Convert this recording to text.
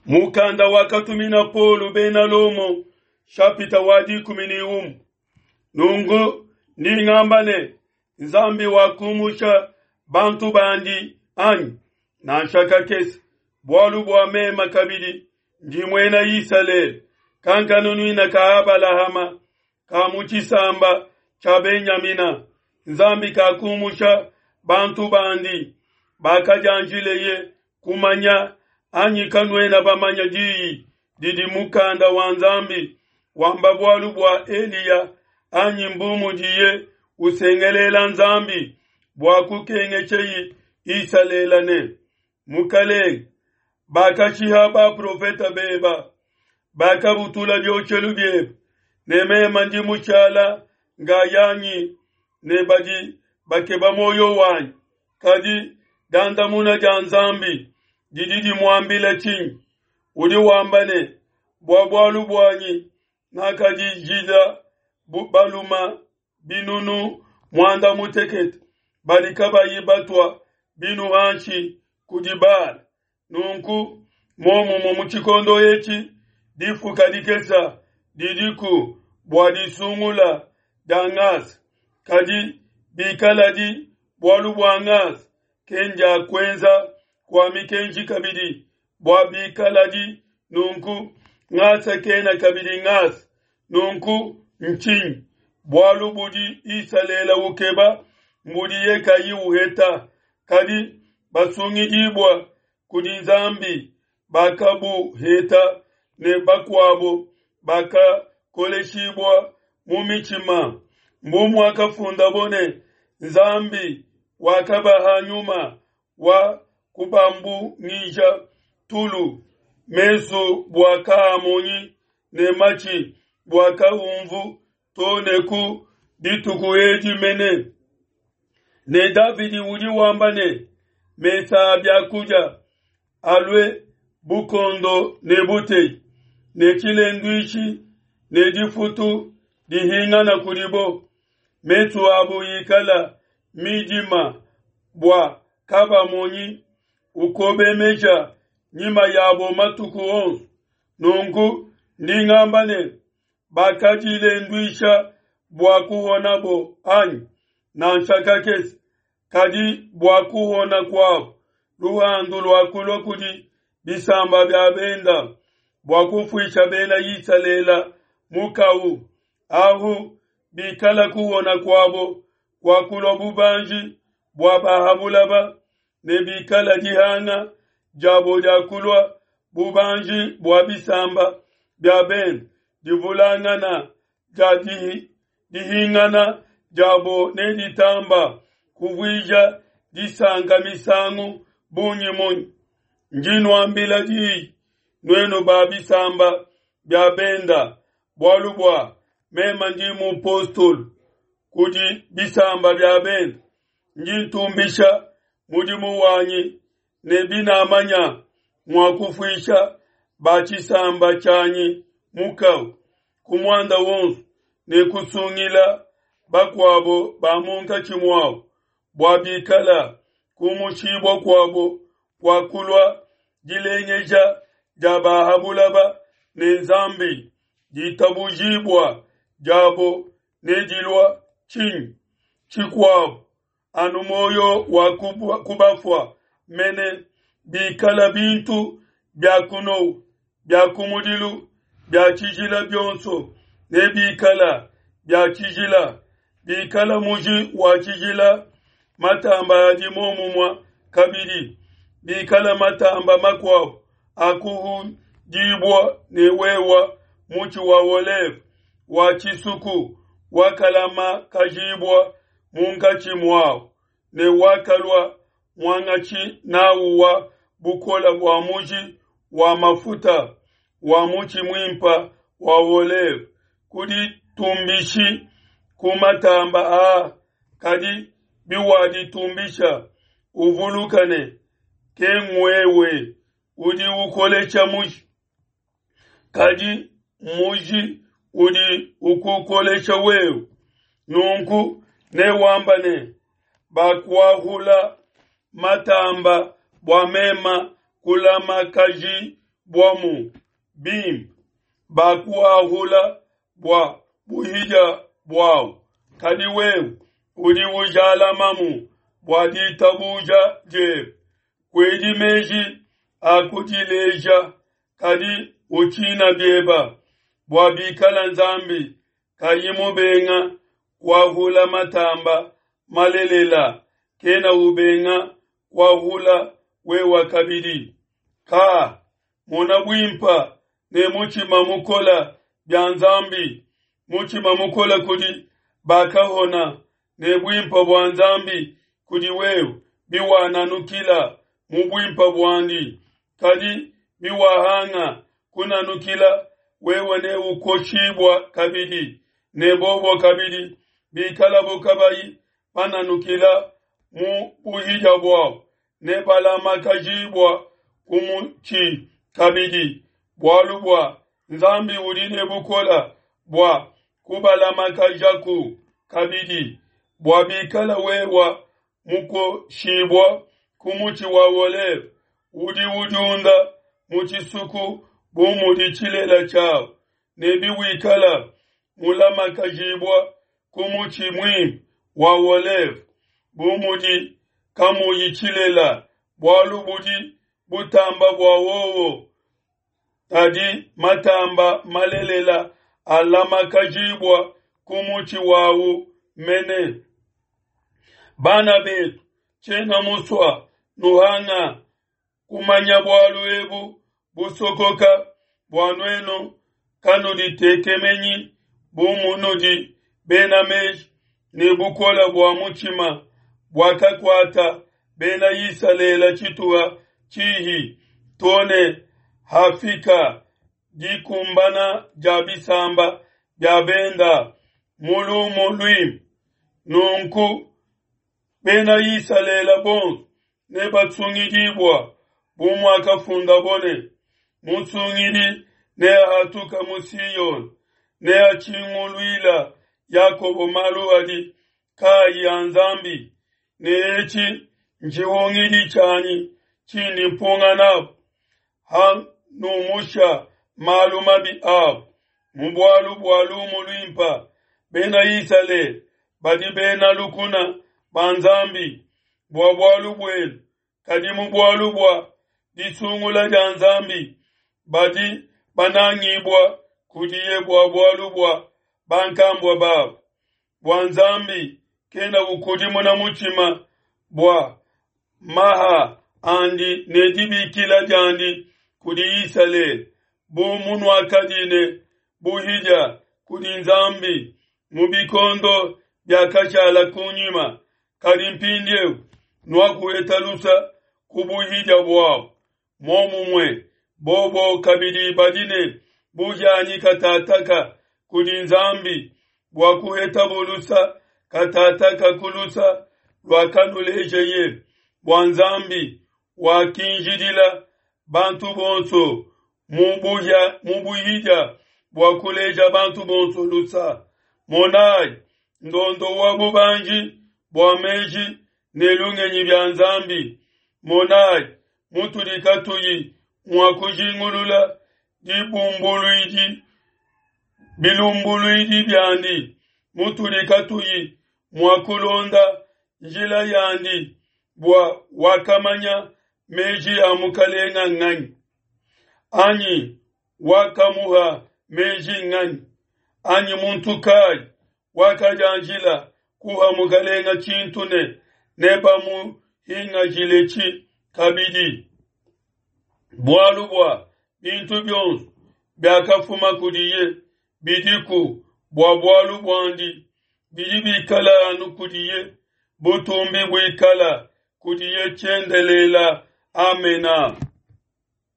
Mukanda wakatumina Paulo bena Lomo, shapita wa 11. Nunku ndi ngamba ne, Nzambi wakumusha bantu bandi anyi? Nansha kakese, bualu bua mema kabidi ndi muena Isalele, kankanunuina ka Abalahama, ka mu tshisamba tshia Benyamina. Nzambi kakumusha bantu bandi bakadianjileye kumanya, anyi kanuena bamanya diyi didi mukanda wa Nzambi wamba bualu bua Eliya, anyi mbu mudiye usengelela Nzambi bua kukengesheyi Isalele ne, Mukalenge, bakashiha baprofeta beba, bakabutula bioshelu biebe, ne mema ndi mushala ngayanyi ne badi bakeba muoyo wanyi. Kadi dandamuna dia Nzambi didi dimuambila tshinyi? Udi wamba ne, bua bualu buanyi nakadijila baluma binunu muanda mutekete badi kabayi batua binu hanshi kudi Baala. Nunku muomumue mu tshikondo etshi difuka dikesa didiku bua disungula dia ngasa, kadi bikaladi bualu bua ngasa, kendia kuenza kua mikenji kabidi, bua bikaladi nunku, ngasa kena kabidi ngasa. Nunku ntshinyi? Bualu budi Isalele ukeba mbudiye kayi uheta, kadi basungidibua kudi Nzambi bakabuheta, ne bakuabo bakakoleshibua mu mitshima. Mbu muakafundabo ne, Nzambi wakabaha nyuma wa kubambungija tulu, mesu bua kaamonyi ne matshi bua kaumvu to ne ku dituku edi mene. Ne Davidi udi wamba ne, mesa a biakudia alue bukondo ne buteyi, ne tshilenduishi ne difutu dihingana kudibo, mesu abu ikala midima bua kabamonyi, ukobemeja nyima yabo matuku onso. Nunku ndi ngamba ne, bakadilenduisha bua kuhonabo anyi? Nansha kakese! Kadi bua kuhona kuabo, luhandu luakulua kudi bisamba bia benda, bua kufuisha bena Isalele mukawu. Ahu bikala kuhona kuabo kuakulua bubanji bua ba ha bulaba, ne bikala dihanga diabo diakulua bubanji bua bisamba bia bende, divulangana dia dihingana diabo neditamba kuvuija disanka misangu bungi munyi? Ndi nuambila diyi, nuenu ba bisamba bia benda, bualu bua mema ndi mupostolo kudi bisamba bia benda, ndi ntumbisha mudimu wanyi ne binamanya mua kufuisha ba tshisamba tshianyi mukawu ku muanda wonso ne kusungila bakuabo ba munkatshi muabo, bua bikala kumushibua kuabo kua kulua dilengeja dia ba ha bulaba ne Nzambi, ditabujibua diabo nedilua tshinyi tshikuabo anu muoyo wa kubafua mene, bikala bintu bia kunowa bia kumudilu bia tshijila bionso ne bikala bia tshijila, bikala muji wa tshijila matamba adi momumua kabidi, bikala matamba makuabo akuhudibua ne wewa mutshi wa oleve wa tshisuku wakalamakajibua munkatshi muawu ne wakalua muangatshi nawu wa bukola bua muji wa mafuta wa mutshi muimpa wa oleve, kuditumbishi ku matamba aa, kadi biwaditumbisha, uvuluka ne ke nguewe udi ukolesha muji, kadi muji udi ukukolesha wewe. Nunku newamba ne, bakuahula matamba bua mema kulamakajibua. buamu bimpe, bakuahula bua buhidia buau, kadi wewe udi ujalamamu bua ditabuja diebe. Kuedi meji a kudileja, kadi utshina bieba, bua bikala Nzambi kayi mubenga kuahula matamba malelela, kena ubenga kuahula wewa kabidi. Ka mona buimpa ne mutshima mukola bia Nzambi, mutshima mukola kudi bakahona, ne buimpa bua Nzambi kudi wewe biwananukila mu buimpa buandi. Kadi biwahanga kunanukila, wewe ne ukoshibua kabidi, ne bobo kabidi bikalabo kabayi bananukila mu buhidia buabo, ne balamakajibua ku mutshi kabidi, bualu bua Nzambi udi ne bukola bua kubalamakajaku kabidi, bua bikala wewa mukoshibua ku mutshi wa oleve udi udiunda mu tshisuku bu mudi tshilela tshiawu, ne biwikala mulamakajibua ku mutshi muimpe wa oleve bu mudi kamuyi tshilela, bualu budi butamba bua wowo, kadi matamba malelela alamakajibua ku mutshi wawu mene. Bana betu, tshiena musua nuhanga kumanya bualu ebu busokoka, bua nuenu kanuditekemenyi bu munudi bena meji ne bukola bua mutshima buakakuata bena Isalele tshituha tshihi to ne hafika dikumbana dia bisamba bia benda mu lumu luimpe. Nunku bena Isalele bonso nebatsungidibua bu muakafundabo ne, Musungidi neahatuka mu Siyone, neatshinguluila Yakobo malu adi kaayi a Nzambi, ne etshi ntshihungidi tshianyi tshindi mpunga nabo, hanumusha malu mabi abo. Mu bualu bua lumu luimpa, bena Isalele badi bena lukuna ba Nzambi bua bualu buenu, kadi mu bualu bua disungula dia Nzambi badi banangibua kudiye bua bualu bua bankambua babo. Bua Nzambi kena ukudimuna mutshima bua maha andi ne dibikila diandi kudi Isalele, bu munuakadi ne buhidia kudi Nzambi mu bikondo biakashala kunyima, kadi mpindieu nuakuheta lusa ku buhidia buabo. Momumue, bobo kabidi badi ne buhianyi katataka kudi Nzambi bua kuhetabo lusa katataka ku lusa luakanulejeye, bua Nzambi wakinjidila bantu bonso mu buhidia bua kuleja bantu bonso lusa. Monai, ndondo wa bubanji bua meji ne lungenyi bia Nzambi. Monai, mutudi katuyi mua kujingulula dibumbuluidi bilumbuluidi biandi, mutudi katuyi mua kulonda njila yandi, bua wakamanya meji a Mukalenga nganyi? Anyi wakamuha meji nganyi? Anyi muntu kayi wakadianjila kuha Mukalenga tshintu ne nebamuhingajiletshi kabidi? Bualu bua bintu bionso biakafuma kudiye bidiku bua bualu buandi, bidi bikala anu kudiye, butumbi buikala kudiye tshiendelela. Amena.